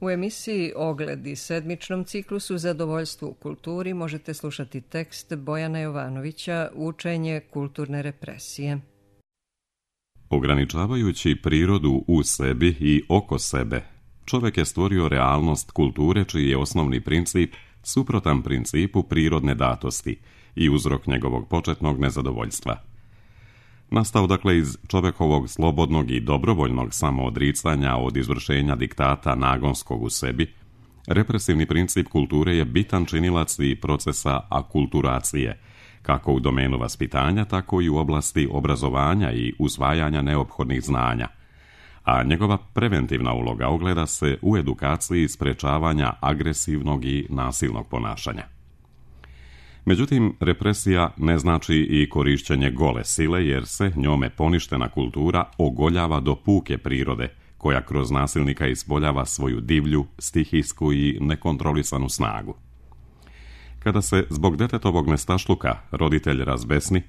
U emisiji Ogledi, sedmičnom ciklusu Zadovoljstvo u kulturi, možete slušati tekst Bojana Jovanovića Učenje kulturne represije. Ograničavajući prirodu u sebi i oko sebe, čovjek je stvorio realnost kulture čiji je osnovni princip suprotan principu prirodne datosti i uzrok njegovog početnog nezadovoljstva. Nastao dakle iz čovjekovog slobodnog i dobrovoljnog samoodricanja od izvršenja diktata nagonskog u sebi, represivni princip kulture je bitan činilac i procesa akulturacije, kako u domenu vaspitanja, tako i u oblasti obrazovanja i usvajanja neophodnih znanja, a njegova preventivna uloga ogleda se u edukaciji sprečavanja agresivnog i nasilnog ponašanja. Međutim, represija ne znači i korišćenje gole sile, jer se njome poništena kultura ogoljava do puke prirode, koja kroz nasilnika ispoljava svoju divlju, stihijsku i nekontrolisanu snagu. Kada se zbog detetovog nestašluka roditelj razbesni,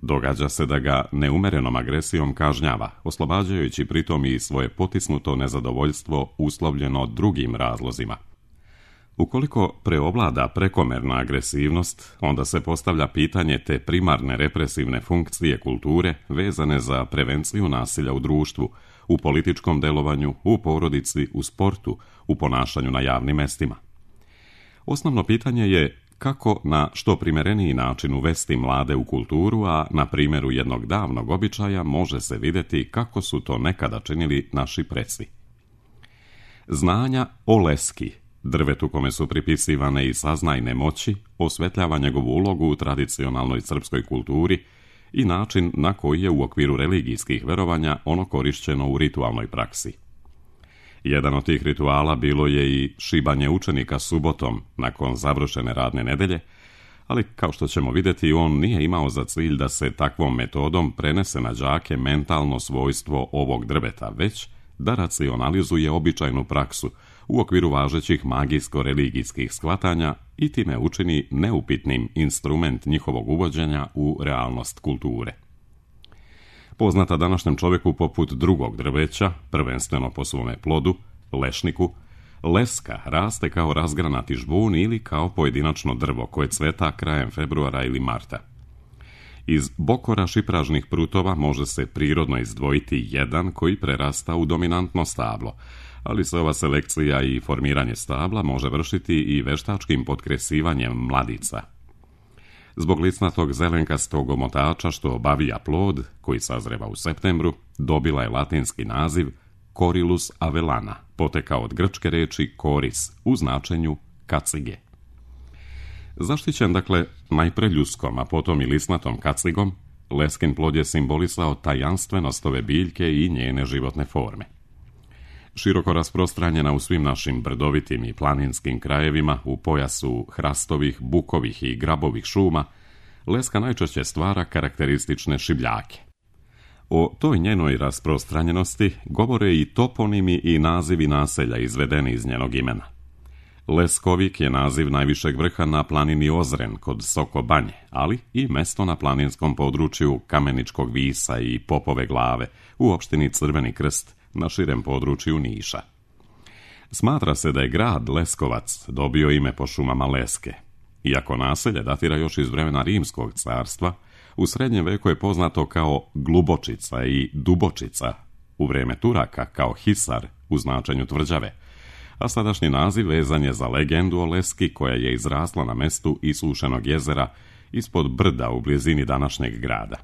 događa se da ga neumerenom agresijom kažnjava, oslobađajući pritom i svoje potisnuto nezadovoljstvo uslovljeno drugim razlozima. Ukoliko preovlada prekomerna agresivnost, onda se postavlja pitanje te primarne represivne funkcije kulture vezane za prevenciju nasilja u društvu, u političkom delovanju, u porodici, u sportu, u ponašanju na javnim mestima. Osnovno pitanje je kako na što primereniji način uvesti mlade u kulturu, a na primjeru jednog davnog običaja može se vidjeti kako su to nekada činili naši preci. Znanja o leski, drvetu kome su pripisivane i saznajne moći, osvetljava njegovu ulogu u tradicionalnoj srpskoj kulturi i način na koji je u okviru religijskih verovanja ono korišćeno u ritualnoj praksi. Jedan od tih rituala bilo je i šibanje učenika subotom nakon završene radne nedelje, ali kao što ćemo vidjeti, on nije imao za cilj da se takvom metodom prenese na đake mentalno svojstvo ovog drveta, već da racionalizuje običajnu praksu u okviru važećih magijsko-religijskih shvatanja i time učini neupitnim instrument njihovog uvođenja u realnost kulture. Poznata današnjem čovjeku poput drugog drveća, prvenstveno po svome plodu, lešniku, leska raste kao razgranati žbun ili kao pojedinačno drvo koje cveta krajem februara ili marta. Iz bokora šipražnih prutova može se prirodno izdvojiti jedan koji prerasta u dominantno stablo, ali se ova selekcija i formiranje stabla može vršiti i veštačkim potkresivanjem mladica. Zbog licnatog zelenkastog omotača što obavija plod, koji sazreva u septembru, dobila je latinski naziv Corylus avellana, potekao od grčke reči koris u značenju kacige. Zaštićen dakle najpre ljuskom, a potom i lisnatom kacigom, leskin plod je simbolisao tajanstvenost ove biljke i njene životne forme. Široko rasprostranjena u svim našim brdovitim i planinskim krajevima u pojasu hrastovih, bukovih i grabovih šuma, leska najčešće stvara karakteristične šibljake. O toj njenoj rasprostranjenosti govore i toponimi i nazivi naselja izvedeni iz njenog imena. Leskovik je naziv najvišeg vrha na planini Ozren kod Soko Banje, ali i mesto na planinskom području Kameničkog Visa i Popove Glave u opštini Crveni Krst na širem području Niša. Smatra se da je grad Leskovac dobio ime po šumama leske. Iako naselje datira još iz vremena Rimskog carstva, u srednjem veku je poznato kao Glubočica i Dubočica, u vrijeme Turaka kao Hisar u značenju tvrđave, a sadašnji naziv vezan je za legendu o leski koja je izrasla na mestu isušenog jezera ispod brda u blizini današnjeg grada.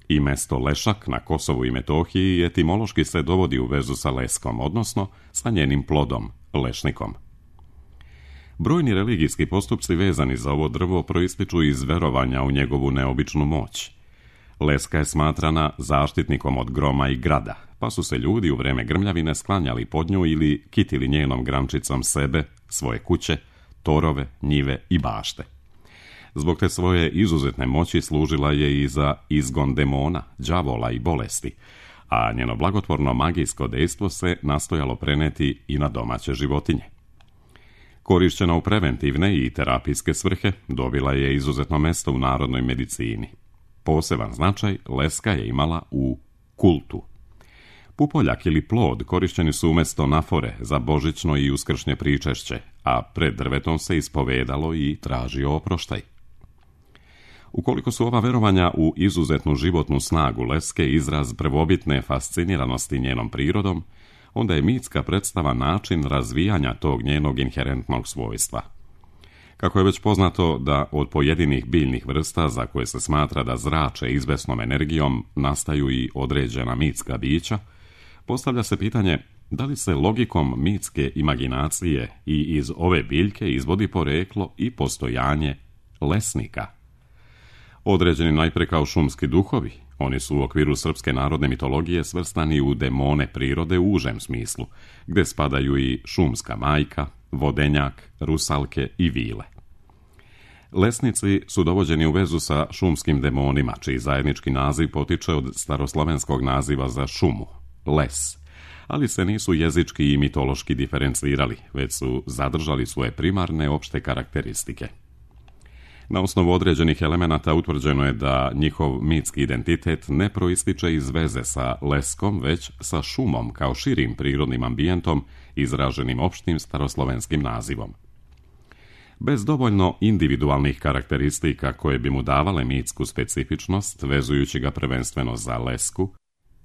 I mesto Lešak na Kosovu i Metohiji etimološki se dovodi u vezu sa leskom, odnosno sa njenim plodom, lešnikom. Brojni religijski postupci vezani za ovo drvo proističu iz verovanja u njegovu neobičnu moć. Leska je smatrana zaštitnikom od groma i grada, pa su se ljudi u vreme grmljavine sklanjali pod nju ili kitili njenom grančicom sebe, svoje kuće, torove, njive i bašte. Zbog te svoje izuzetne moći služila je i za izgon demona, đavola i bolesti, a njeno blagotvorno magijsko dejstvo se nastojalo preneti i na domaće životinje. Korišćena u preventivne i terapijske svrhe, dobila je izuzetno mesto u narodnoj medicini. Poseban značaj leska je imala u kultu. Pupoljak ili plod korišćeni su umjesto nafore za božićno i uskršnje pričešće, a pred drvetom se ispovedalo i tražio oproštaj. Ukoliko su ova verovanja u izuzetnu životnu snagu Leske izraz prvobitne fasciniranosti njenom prirodom, onda je mitska predstava način razvijanja tog njenog inherentnog svojstva. Kako je već poznato da od pojedinih biljnih vrsta za koje se smatra da zrače izvesnom energijom nastaju i određena mitska bića, postavlja se pitanje da li se logikom mitske imaginacije i iz ove biljke izvodi poreklo i postojanje lesnika. Određeni najpre kao šumski duhovi, oni su u okviru srpske narodne mitologije svrstani u demone prirode u užem smislu, gde spadaju i šumska majka, vodenjak, rusalke i vile. Lesnici su dovođeni u vezu sa šumskim demonima, čiji zajednički naziv potiče od staroslovenskog naziva za šumu, les, ali se nisu jezički i mitološki diferencirali, već su zadržali svoje primarne opšte karakteristike. Na osnovu određenih elemenata utvrđeno je da njihov mitski identitet ne proističe iz veze sa leskom, već sa šumom kao širim prirodnim ambijentom izraženim opštim staroslovenskim nazivom. Bez dovoljno individualnih karakteristika koje bi mu davale mitsku specifičnost, vezujući ga prvenstveno za lesku,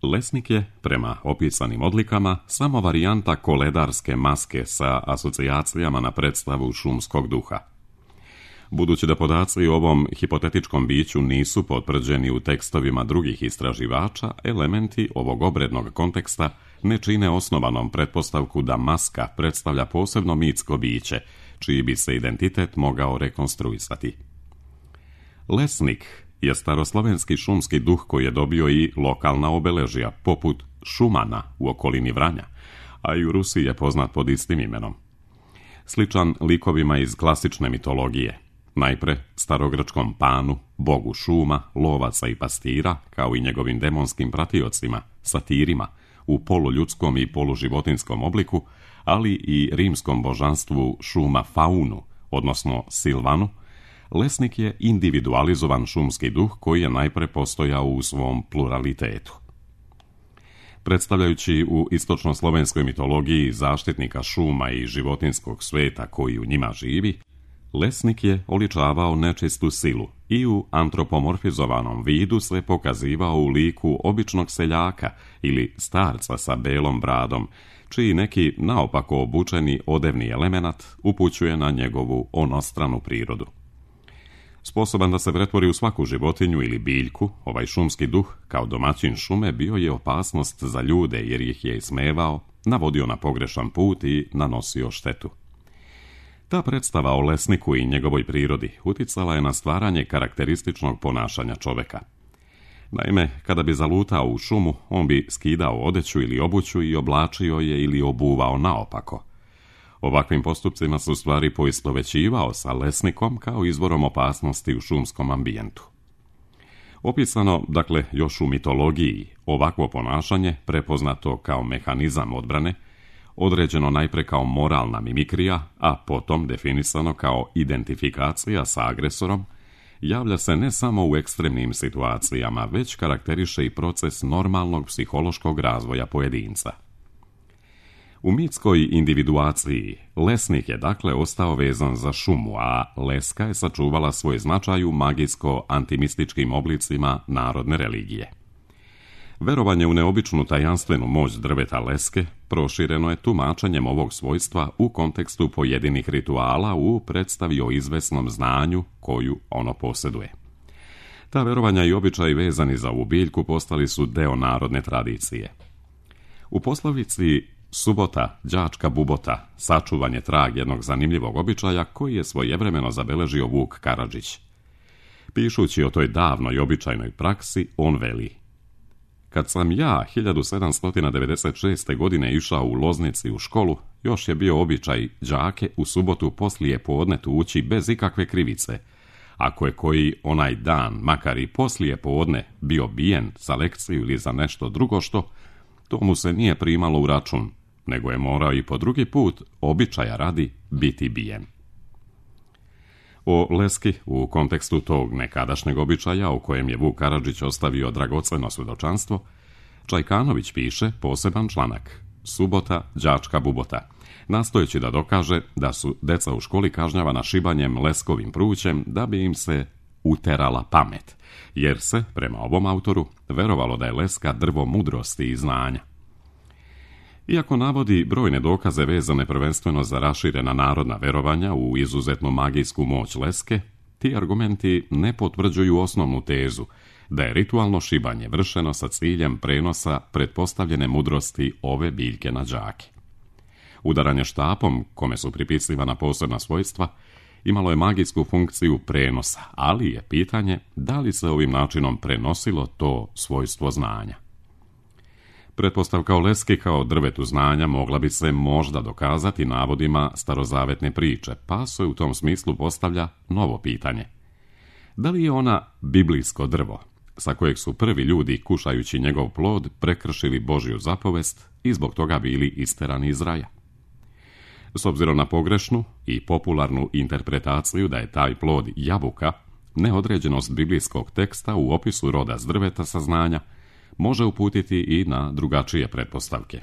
lesnik je, prema opisanim odlikama, samo varijanta koledarske maske sa asocijacijama na predstavu šumskog duha. Budući da podaci o ovom hipotetičkom biću nisu potvrđeni u tekstovima drugih istraživača, elementi ovog obrednog konteksta ne čine osnovanom pretpostavku da maska predstavlja posebno mitsko biće, čiji bi se identitet mogao rekonstruisati. Lesnik je staroslovenski šumski duh koji je dobio i lokalna obeležja, poput Šumana u okolini Vranja, a i u Rusiji je poznat pod istim imenom. Sličan likovima iz klasične mitologije, najpre starogrčkom Panu, bogu šuma, lovaca i pastira, kao i njegovim demonskim pratiocima, satirima, u poluljudskom i poluživotinskom obliku, ali i rimskom božanstvu šuma Faunu, odnosno Silvanu, lesnik je individualizovan šumski duh koji je najpre postojao u svom pluralitetu. Predstavljajući u istočnoslovenskoj mitologiji zaštitnika šuma i životinskog sveta koji u njima živi, lesnik je oličavao nečistu silu i u antropomorfizovanom vidu se pokazivao u liku običnog seljaka ili starca sa belom bradom, čiji neki naopako obučeni odevni elemenat upućuje na njegovu onostranu prirodu. Sposoban da se pretvori u svaku životinju ili biljku, ovaj šumski duh, kao domaćin šume, bio je opasnost za ljude jer ih je ismevao, navodio na pogrešan put i nanosio štetu. Ta predstava o lesniku i njegovoj prirodi uticala je na stvaranje karakterističnog ponašanja čoveka. Naime, kada bi zalutao u šumu, on bi skidao odeću ili obuću i oblačio je ili obuvao naopako. Ovakvim postupcima se u stvari poistovjećivao sa lesnikom kao izvorom opasnosti u šumskom ambijentu. Opisano, dakle, još u mitologiji, ovakvo ponašanje, prepoznato kao mehanizam odbrane, određeno najpre kao moralna mimikrija, a potom definisano kao identifikacija sa agresorom, javlja se ne samo u ekstremnim situacijama, već karakteriše i proces normalnog psihološkog razvoja pojedinca. U mitskoj individuaciji lesnik je dakle ostao vezan za šumu, a leska je sačuvala svoj značaj u magijsko-antimističkim oblicima narodne religije. Verovanje u neobičnu tajanstvenu moć drveta leske prošireno je tumačenjem ovog svojstva u kontekstu pojedinih rituala u predstavi o izvesnom znanju koju ono posjeduje. Ta verovanja i običaji vezani za ovu biljku postali su deo narodne tradicije. U poslovici subota, đačka bubota, sačuvan je trag jednog zanimljivog običaja koji je svojevremeno zabeležio Vuk Karadžić. Pišući o toj davnoj običajnoj praksi, on veli: Kad sam ja 1796. godine išao u Loznici u školu, još je bio običaj đake u subotu poslije podne tući bez ikakve krivice. Ako je koji onaj dan, makar i poslije podne, bio bijen za lekciju ili za nešto drugo što, to mu se nije primalo u račun, nego je morao i po drugi put, običaja radi, biti bijen. O leski, u kontekstu tog nekadašnjeg običaja, u kojem je Vuk Karadžić ostavio dragoceno svjedočanstvo, Čajkanović piše poseban članak Subota, đačka bubota, nastojeći da dokaže da su deca u školi kažnjavana šibanjem leskovim prućem da bi im se uterala pamet, jer se, prema ovom autoru, verovalo da je leska drvo mudrosti i znanja. Iako navodi brojne dokaze vezane prvenstveno za raširena narodna verovanja u izuzetnu magijsku moć leske, ti argumenti ne potvrđuju osnovnu tezu da je ritualno šibanje vršeno sa ciljem prenosa pretpostavljene mudrosti ove biljke na đake. Udaranje štapom, kome su pripisivana posebna svojstva, imalo je magijsku funkciju prenosa, ali je pitanje da li se ovim načinom prenosilo to svojstvo znanja. Pretpostavka o leski kao drvetu znanja mogla bi se možda dokazati navodima starozavetne priče, pa se u tom smislu postavlja novo pitanje. Da li je ona biblijsko drvo, sa kojeg su prvi ljudi, kušajući njegov plod, prekršili Božju zapovest i zbog toga bili isterani iz raja? S obzirom na pogrešnu i popularnu interpretaciju da je taj plod jabuka, neodređenost biblijskog teksta u opisu roda s drveta saznanja može uputiti i na drugačije pretpostavke.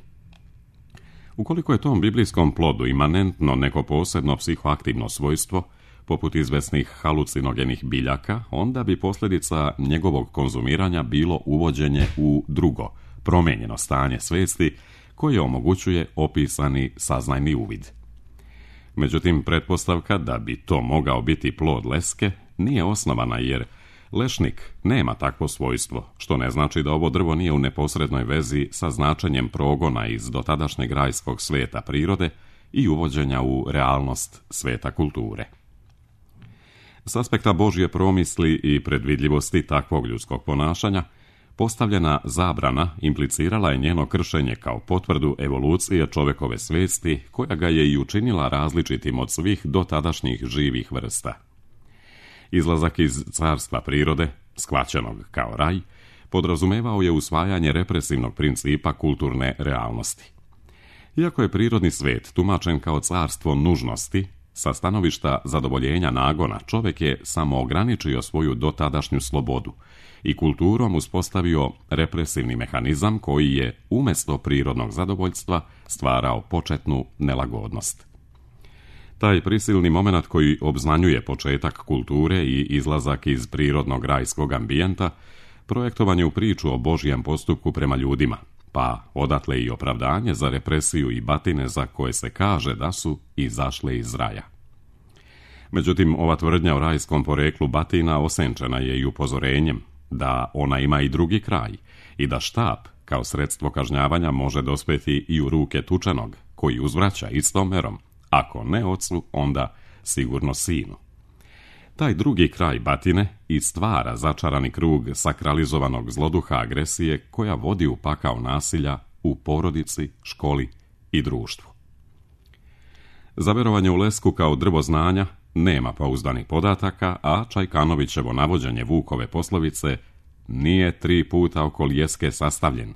Ukoliko je tom biblijskom plodu imanentno neko posebno psihoaktivno svojstvo, poput izvesnih halucinogenih biljaka, onda bi posljedica njegovog konzumiranja bilo uvođenje u drugo, promijenjeno stanje svijesti koje omogućuje opisani saznajni uvid. Međutim, pretpostavka da bi to mogao biti plod leske nije osnovana jer lešnik nema takvo svojstvo, što ne znači da ovo drvo nije u neposrednoj vezi sa značenjem progona iz dotadašnjeg rajskog sveta prirode i uvođenja u realnost sveta kulture. S aspekta Božje promisli i predvidljivosti takvog ljudskog ponašanja, postavljena zabrana implicirala je njeno kršenje kao potvrdu evolucije čovekove svijesti koja ga je i učinila različitim od svih dotadašnjih živih vrsta. Izlazak iz carstva prirode, shvaćenog kao raj, podrazumevao je usvajanje represivnog principa kulturne realnosti. Iako je prirodni svet tumačen kao carstvo nužnosti, sa stanovišta zadovoljenja nagona čovjek je samo ograničio svoju dotadašnju slobodu i kulturom uspostavio represivni mehanizam koji je umjesto prirodnog zadovoljstva stvarao početnu nelagodnost. Taj prisilni moment koji obznanjuje početak kulture i izlazak iz prirodnog rajskog ambijenta projektovan je u priču o Božjem postupku prema ljudima, pa odatle i opravdanje za represiju i batine za koje se kaže da su izašle iz raja. Međutim, ova tvrdnja o rajskom poreklu batina osenčena je i upozorenjem da ona ima i drugi kraj i da štap kao sredstvo kažnjavanja može dospjeti i u ruke tučenog, koji uzvraća istom merom, ako ne ocu, onda sigurno sinu. Taj drugi kraj batine i stvara začarani krug sakralizovanog zloduha agresije koja vodi u pakao nasilja u porodici, školi i društvu. Za verovanje u lesku kao drvo znanja nema pouzdanih podataka, a Čajkanovićevo navođenje Vukove poslovice nije 3 puta oko ljeske sastavljen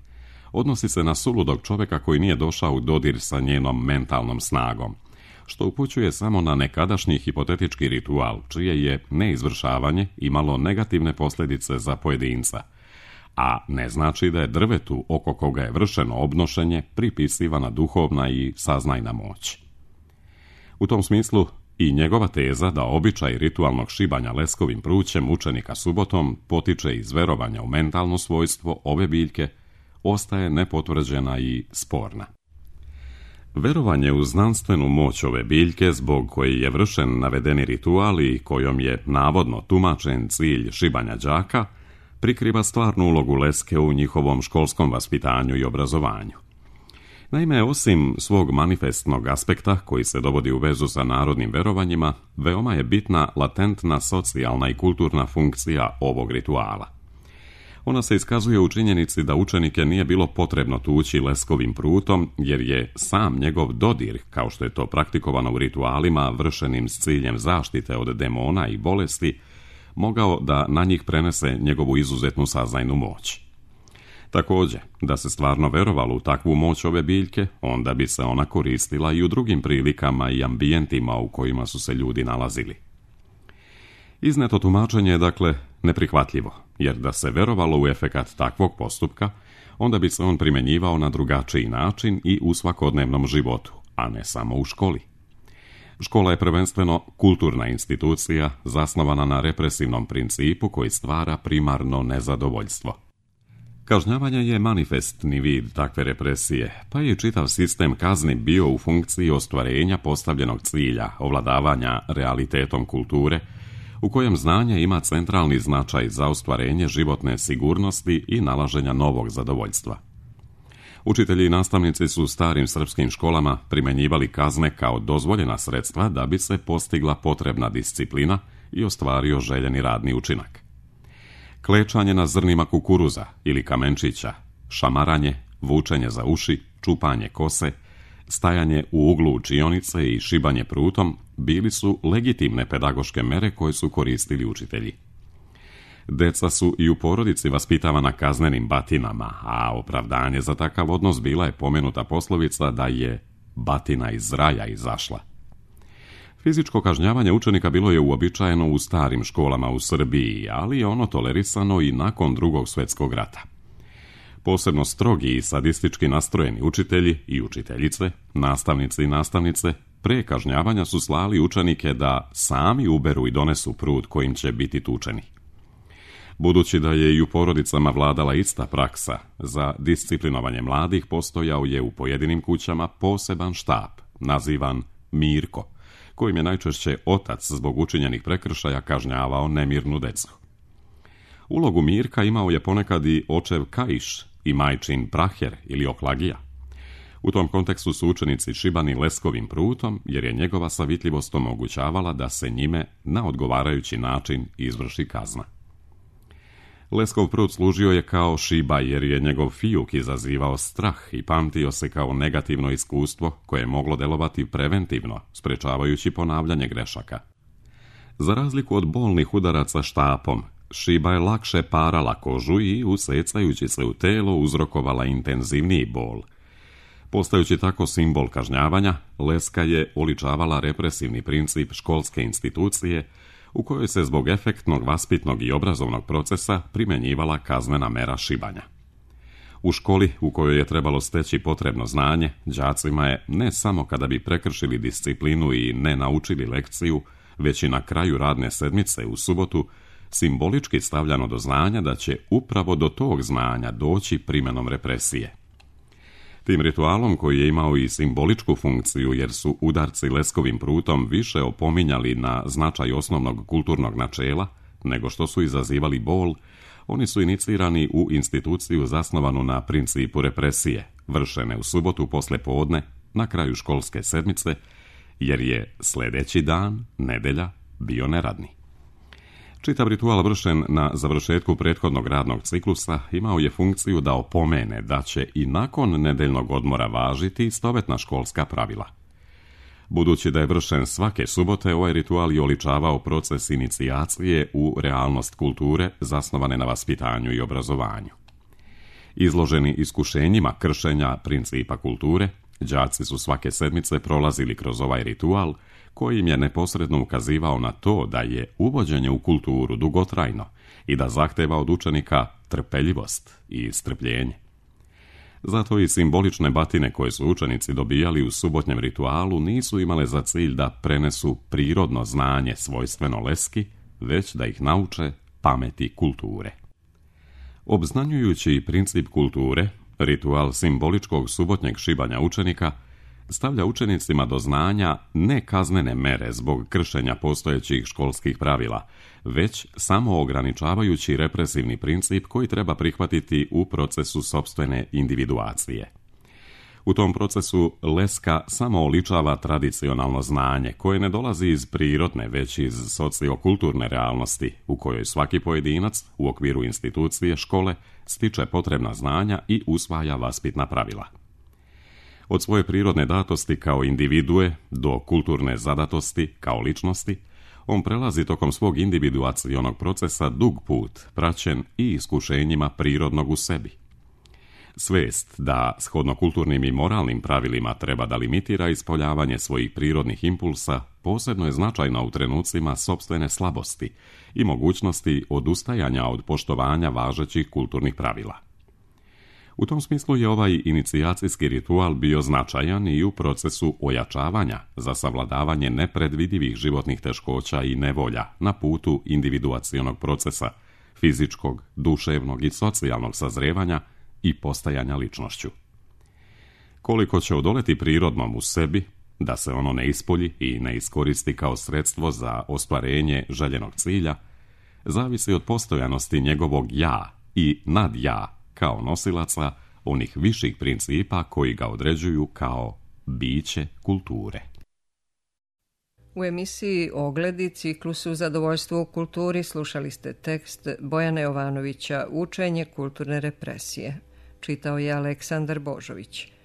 odnosi se na suludog čovjeka koji nije došao u dodir sa njenom mentalnom snagom, što upućuje samo na nekadašnji hipotetički ritual, čije je neizvršavanje imalo negativne posljedice za pojedinca, a ne znači da je drvetu oko koga je vršeno obnošenje pripisivana duhovna i saznajna moć. U tom smislu i njegova teza da običaj ritualnog šibanja leskovim prućem učenika subotom potiče iz verovanja u mentalno svojstvo ove biljke ostaje nepotvrđena i sporna. Verovanje u znanstvenu moć ove biljke, zbog koje je vršen navedeni ritual i kojom je navodno tumačen cilj šibanja đaka, prikriva stvarnu ulogu leske u njihovom školskom vaspitanju i obrazovanju. Naime, osim svog manifestnog aspekta, koji se dovodi u vezu sa narodnim verovanjima, veoma je bitna latentna socijalna i kulturna funkcija ovog rituala. Ona se iskazuje u činjenici da učenike nije bilo potrebno tući leskovim prutom, jer je sam njegov dodir, kao što je to praktikovano u ritualima vršenim s ciljem zaštite od demona i bolesti, mogao da na njih prenese njegovu izuzetnu saznajnu moć. Također, da se stvarno verovalo u takvu moć ove biljke, onda bi se ona koristila i u drugim prilikama i ambijentima u kojima su se ljudi nalazili. Izneto tumačenje je dakle neprihvatljivo, jer da se verovalo u efekat takvog postupka, onda bi se on primjenjivao na drugačiji način i u svakodnevnom životu, a ne samo u školi. Škola je prvenstveno kulturna institucija zasnovana na represivnom principu koji stvara primarno nezadovoljstvo. Kažnjavanje je manifestni vid takve represije, pa je čitav sistem kazni bio u funkciji ostvarenja postavljenog cilja, ovladavanja realitetom kulture, u kojem znanje ima centralni značaj za ostvarenje životne sigurnosti i nalaženja novog zadovoljstva. Učitelji i nastavnici su u starim srpskim školama primjenjivali kazne kao dozvoljena sredstva da bi se postigla potrebna disciplina i ostvario željeni radni učinak. Klečanje na zrnima kukuruza ili kamenčića, šamaranje, vučenje za uši, čupanje kose, stajanje u uglu učionice i šibanje prutom bili su legitimne pedagoške mere koje su koristili učitelji. Deca su i u porodici vaspitavana kaznenim batinama, a opravdanje za takav odnos bila je pomenuta poslovica da je batina iz raja izašla. Fizičko kažnjavanje učenika bilo je uobičajeno u starim školama u Srbiji, ali je ono tolerisano i nakon Drugog svjetskog rata. Posebno strogi i sadistički nastrojeni učitelji i učiteljice, nastavnici i nastavnice, pre kažnjavanja su slali učenike da sami uberu i donesu prut kojim će biti tučeni. Budući da je i u porodicama vladala ista praksa, za disciplinovanje mladih postojao je u pojedinim kućama poseban štab, nazivan Mirko, kojim je najčešće otac zbog učinjenih prekršaja kažnjavao nemirnu decu. Ulogu Mirka imao je ponekad i očev Kaiš i majčin Praher ili Oklagija. U tom kontekstu su učenici šibani leskovim prutom, jer je njegova savitljivost omogućavala da se njime na odgovarajući način izvrši kazna. Leskov prut služio je kao šiba jer je njegov fijuk izazivao strah i pamtio se kao negativno iskustvo koje je moglo delovati preventivno, sprečavajući ponavljanje grešaka. Za razliku od bolnih udaraca štapom, šiba je lakše parala kožu i, usecajući se u telo, uzrokovala intenzivniji bol. Postajući tako simbol kažnjavanja, leska je oličavala represivni princip školske institucije, u kojoj se zbog efektnog vaspitnog i obrazovnog procesa primjenjivala kaznena mera šibanja. U školi, u kojoj je trebalo steći potrebno znanje, đacima je, ne samo kada bi prekršili disciplinu i ne naučili lekciju, već i na kraju radne sedmice u subotu, simbolički stavljano do znanja da će upravo do tog znanja doći primjenom represije. Tim ritualom, koji je imao i simboličku funkciju jer su udarci leskovim prutom više opominjali na značaj osnovnog kulturnog načela nego što su izazivali bol, oni su inicirani u instituciju zasnovanu na principu represije, vršene u subotu posle podne, na kraju školske sedmice, jer je sljedeći dan, nedelja, bio neradni. Čitav ritual vršen na završetku prethodnog radnog ciklusa imao je funkciju da opomene da će i nakon nedeljnog odmora važiti istovetna školska pravila. Budući da je vršen svake subote, ovaj ritual je oličavao proces inicijacije u realnost kulture zasnovane na vaspitanju i obrazovanju. Izloženi iskušenjima kršenja principa kulture, đaci su svake sedmice prolazili kroz ovaj ritual, koji im je neposredno ukazivao na to da je uvođenje u kulturu dugotrajno i da zahteva od učenika trpeljivost i strpljenje. Zato i simbolične batine koje su učenici dobijali u subotnjem ritualu nisu imale za cilj da prenesu prirodno znanje svojstveno leski, već da ih nauče pameti kulture. Obznanjujući princip kulture, ritual simboličkog subotnjeg šibanja učenika stavlja učenicima do znanja ne kaznene mere zbog kršenja postojećih školskih pravila, već samo ograničavajući represivni princip koji treba prihvatiti u procesu sopstvene individuacije. U tom procesu leska samo oličava tradicionalno znanje koje ne dolazi iz prirodne, već iz sociokulturne realnosti u kojoj svaki pojedinac u okviru institucije škole stiče potrebna znanja i usvaja vaspitna pravila. Od svoje prirodne datosti kao individue do kulturne zadatosti kao ličnosti, on prelazi tokom svog individuacionog procesa dug put, praćen i iskušenjima prirodnog u sebi. Svest da shodno kulturnim i moralnim pravilima treba da limitira ispoljavanje svojih prirodnih impulsa posebno je značajna u trenucima sopstvene slabosti i mogućnosti odustajanja od poštovanja važećih kulturnih pravila. U tom smislu je ovaj inicijacijski ritual bio značajan i u procesu ojačavanja za savladavanje nepredvidivih životnih teškoća i nevolja na putu individuacionog procesa, fizičkog, duševnog i socijalnog sazrijevanja i postajanja ličnošću. Koliko će odoleti prirodnom u sebi, da se ono ne ispolji i ne iskoristi kao sredstvo za ostvarenje željenog cilja, zavisi od postojanosti njegovog ja i nadja kao nosilaca onih viših principa koji ga određuju kao biće kulture. U emisiji Ogledi, ciklusu Zadovoljstvo u kulturi, slušali ste tekst Bojana Jovanovića Učenje kulturne represije. Čitao je Aleksandar Božović.